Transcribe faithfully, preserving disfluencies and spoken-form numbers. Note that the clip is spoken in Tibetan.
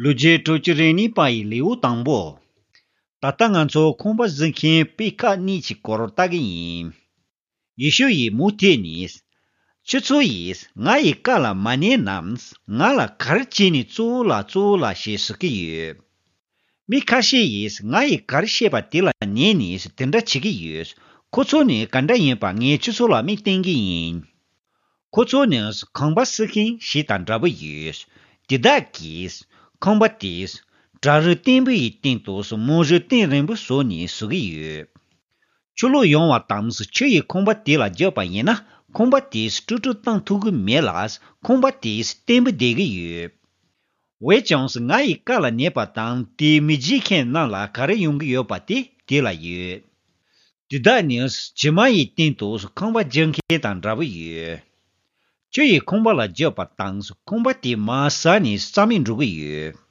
ལོ་རྒྱུས་དྲུག་ཅུ་རེ་གཉིས་པ་ཡི་ལེའུ་དང་པོ། ད་ལྟ་ང་ཚོ་ཁང་པ་བཟོ་མཁན་པེ་ཁ་གཉིས་ཀྱི་སྐོར་ལྟ་གི་ཡིན། ཡེ་ཤུ་ཡིས་མུ་མཐུད་ནས། ཁྱོད་ཚོ་ཡིས་ང་ཡི་བཀའ་ལ་མ་ཉན་ནམ། ང་ལ་ག་རེ་བྱས་ནས་གཙོ་བོ་ལགས་གཙོ་བོ་ལགས་ཞེས་ཟེར་གྱི་ཡོད། མི་ཁ་ཤས་ཡིས་ང་ཡི་ག་རེ་བཤད་པ་དེ་ལ་ཉན་ནས་དེ་འདྲ་བྱེད་ཀྱི་ཡོད། ཁོ་ཚོ་ནི་ག་འདྲ་ཡིན་པ་ངས་ཁྱོད་ཚོ་ལ་མིག་སྟོན་གྱི་ཡིན། ཁོ་ཚོ་ནི་ཁང་པ་བསུ་མཁན་ཞིག་དང་འདྲ་པོ་ཡོད། དེ་དག་གིས་ཁང་པ་དེས་བྲག་རི་བརྟན་པོ་ཡི་སྟེང་དུ་མུ་རི་གཏིང་རིང་པོ་བཟོས་ནས་བཟོ་གི་ཡོད། ཆུ་ལོག་ཡོང་བ་དང་ཆུ་ཡིས་ཁང་པ་དེ་ལ་རྒྱབ་པ་ཡིན་ན། ཁང་པ་དེས་དཀྲུག་དཀྲུག་བཏང་ཐུབ་ཀྱི་མེད་ལ། ཁང་པ་དེས་བརྟན་པོ་བསྡད་ཀྱི་ཡོད། འོན་ཀྱང་ང་ཡི་བཀའ་ལ་ཉན་པ་དང་དེའི་མི་བརྗེད་མཁན་རྣམས་ལ་ག་རེ་ཡོང་གི་ཡོད་པ་དེ་དེ་ལ་ཡོད། དེ་དག་ནི་བྱེ་མ་ཡི་སྟེང་དུ་ཁང་པ་རྒྱག་མཁན་དང་འདྲ་པོ་ཡོད། ཆུ་ཡིས་ཁང་པ་ལ་རྒྱབ་པ་དང་ཁང་པ་དེ་མར་ཟགས་ནས་རྩ་མེད་འགྲོ་གི་ཡོད།